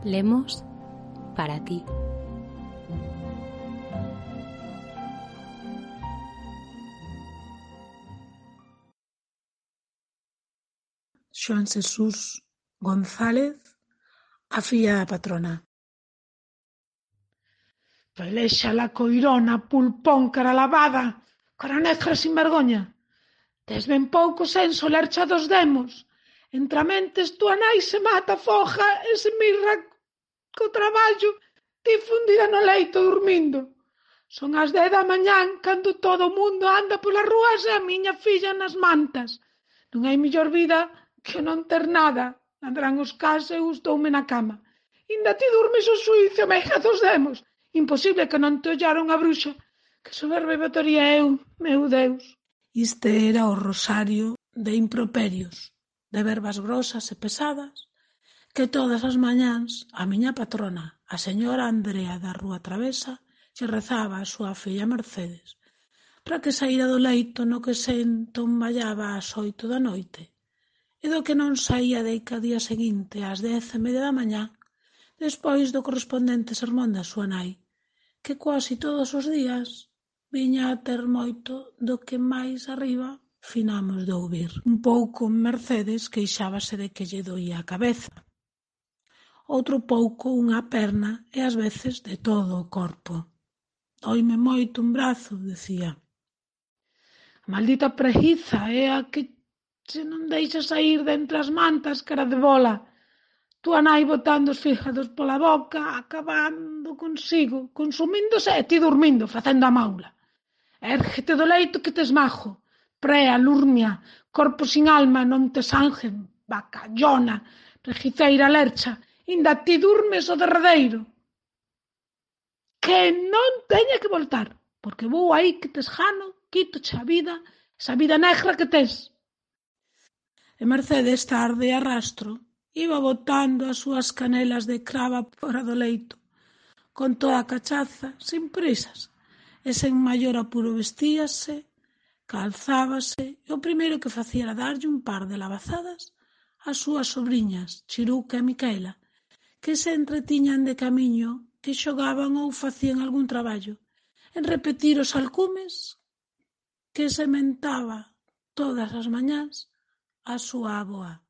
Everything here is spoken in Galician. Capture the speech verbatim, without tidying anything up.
Lemos para ti. Xoán Xesús González, a filla da patrona. Pelexa la coirona, pulpón, cara lavada, cara negra sin vergoña. Tes ben pouco senso lercha dos demos. Entramentes tua nai se mata, foja e se mirra co traballo, ti fundida no leito dormindo. Son as dez da mañán cando todo o mundo anda polas rúas e a miña filla nas mantas. Non hai mellor vida que non ter nada. Andarán os cas e gustoume na cama. Inda ti dormes o suízo, meiga dos demos. Imposible que non te ollaron a bruxa. Que soberbe botaría eu, meu Deus. Iste era o rosario de improperios, de verbas grosas e pesadas, que todas as mañáns a miña patrona, a señora Andrea da Rúa Travesa, lle rezaba a súa filla Mercedes, para que saíra do leito no que se entomballaba ás oito da noite, e do que non saía deica día seguinte ás dez e media da mañá, despois do correspondente sermón da súa nai, que quasi todos os días viña a ter moito do que máis arriba finamos de ouvir. Un pouco Mercedes queixábase de que lle doía a cabeza, outro pouco unha perna e ás veces de todo o corpo. Doime moito un brazo, decía. A maldita preguiza é a que se non deixa saír de entre as mantas cara de bola. Tua nai botando os fígados pola boca, acabando consigo, consumíndose e ti dormindo, facendo a maula. Érgete do leito que te esmajo. Prea, lurnia, corpo sin alma, non te sanjen, bacallona, preguiceira lercha, inda ti durmes o derradeiro. Que non teña que voltar, porque vou aí que te esgano, quítoche a vida, esa vida negra que tes. E Mercedes tarde e arrastro iba botando as súas canelas de crava fora do leito, con toda a cachaza, sin prisas, e sen maior apuro vestíase, calzábase, e o primeiro que facía era darlle un par de labazadas ás súas sobriñas, Chiruca e Micaela, que se entretiñan de camiño, que xogaban ou facían algún traballo, en repetir os alcumes que se mentaba todas as mañás a súa avoa.